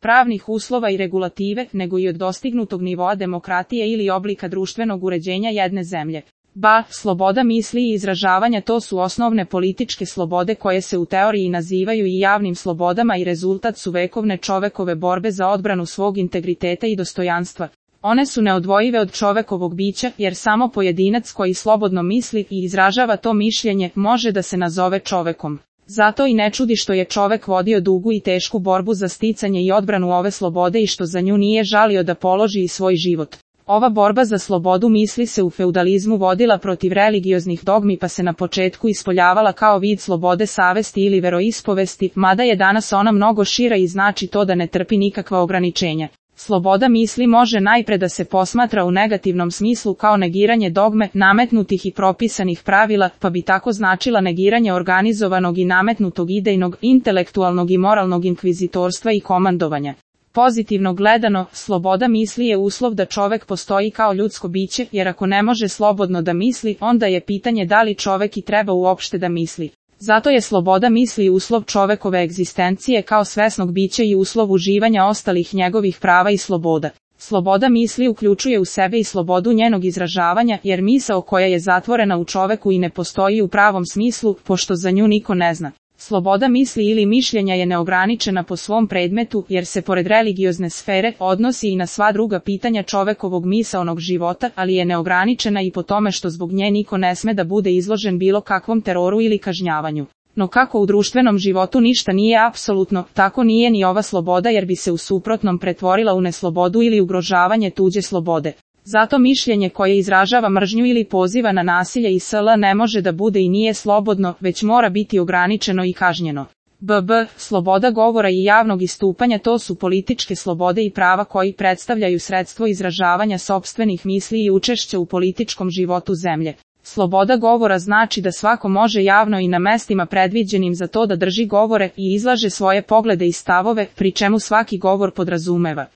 pravnih uslova i regulative, nego i od dostignutog nivoa demokratije ili oblika društvenog uređenja jedne zemlje. Sloboda misli i izražavanja to su osnovne političke slobode koje se u teoriji nazivaju i javnim slobodama i rezultat su vekovne čovekove borbe za odbranu svog integriteta i dostojanstva. One su neodvojive od čovekovog bića, jer samo pojedinac koji slobodno misli i izražava to mišljenje može da se nazove čovekom. Zato i ne čudi što je čovek vodio dugu i tešku borbu za sticanje i odbranu ove slobode i što za nju nije žalio da položi i svoj život. Ova borba za slobodu misli se u feudalizmu vodila protiv religioznih dogmi pa se na početku ispoljavala kao vid slobode savesti ili veroispovesti, mada je danas ona mnogo šira i znači to da ne trpi nikakva ograničenja. Sloboda misli može najpre da se posmatra u negativnom smislu kao negiranje dogme, nametnutih i propisanih pravila, pa bi tako značila negiranje organizovanog i nametnutog idejnog, intelektualnog i moralnog inkvizitorstva i komandovanja. Pozitivno gledano, sloboda misli je uslov da čovek postoji kao ljudsko biće, jer ako ne može slobodno da misli, onda je pitanje da li čovek i treba uopšte da misli. Zato je sloboda misli uslov čovekove egzistencije kao svesnog bića i uslov uživanja ostalih njegovih prava i sloboda. Sloboda misli uključuje u sebe i slobodu njenog izražavanja, jer misao koja je zatvorena u čoveku i ne postoji u pravom smislu, pošto za nju niko ne zna. Sloboda misli ili mišljenja je neograničena po svom predmetu, jer se pored religiozne sfere odnosi i na sva druga pitanja čovekovog misaonog života, ali je neograničena i po tome što zbog nje niko ne sme da bude izložen bilo kakvom teroru ili kažnjavanju. No kako u društvenom životu ništa nije apsolutno, tako nije ni ova sloboda jer bi se u suprotnom pretvorila u neslobodu ili ugrožavanje tuđe slobode. Zato mišljenje koje izražava mržnju ili poziva na nasilje i sl. Ne može da bude i nije slobodno, već mora biti ograničeno i kažnjeno. Sloboda govora i javnog istupanja to su političke slobode i prava koji predstavljaju sredstvo izražavanja sopstvenih misli i učešća u političkom životu zemlje. Sloboda govora znači da svako može javno i na mestima predviđenim za to da drži govore i izlaže svoje poglede i stavove, pri čemu svaki govor podrazumeva